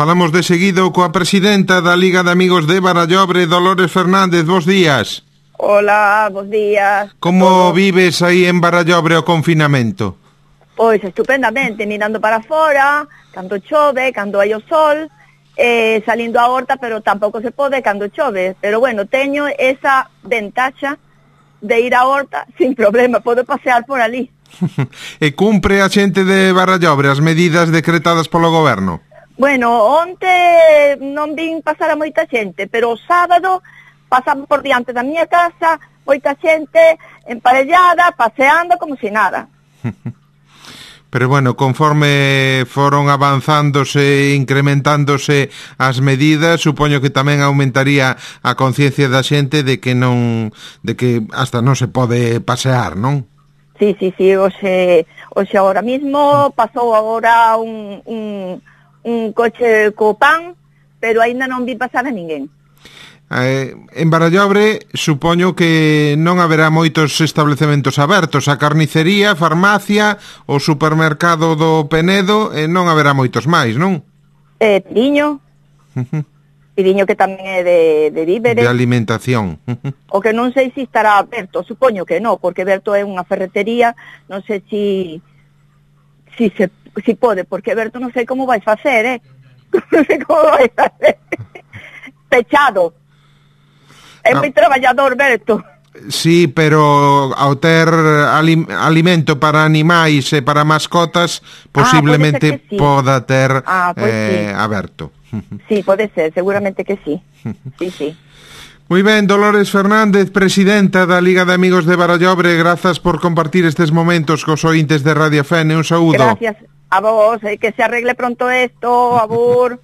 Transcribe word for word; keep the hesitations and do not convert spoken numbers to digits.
Falamos de seguido coa presidenta da Liga de Amigos de Barallobre, Dolores Fernández. Bos días. Hola, bos días. Como vives aí en Barallobre o confinamento? Pois estupendamente, mirando para fora, cando chove, cando hai o sol, eh, salindo a horta, pero tampouco se pode cando chove. Pero bueno, teño esa ventaxa de ir á horta sin problema, podo pasear por ali. E cumpre a xente de Barallobre as medidas decretadas polo goberno? Bueno, onte non vin pasar a moita xente, pero o sábado pasamos por diante da miña casa, moita xente emparellada, paseando como si nada. Pero bueno, conforme foron avanzándose, incrementándose as medidas, supoño que tamén aumentaría a conciencia da xente de que non, de que hasta non se pode pasear, non? Sí, sí, sí, hoxe, hoxe agora mismo pasou agora un, un, un coche co pan, pero aínda non vi pasar a ninguén. Eh, en Barallobre supoño que non haberá moitos establecementos abertos, a carnicería, a farmacia, o supermercado do Penedo, e non haberá moitos máis, non? Eh, Piriño, uh-huh. Piriño que tamén é de, de víveres. De alimentación. Uh-huh. O que non sei se estará aberto, supoño que non, porque Berto é unha ferretería, non sei si, si, se, si pode, porque Berto non sei como vai facer, eh? Non sei como vai facer. Pechado. É moi traballador, Berto. Sí, pero ao ter alim, alimento para animais e para mascotas, posiblemente ah, sí. poda ter ah, pues eh, sí. aberto. Sí, pode ser, seguramente que sí. Sí, sí. Moi ben, Dolores Fernández, presidenta da Liga de Amigos de Barallobre, grazas por compartir estes momentos cos ointes de Radio Fene. Un saúdo. Gracias a vos, eh, que se arregle pronto esto, abur.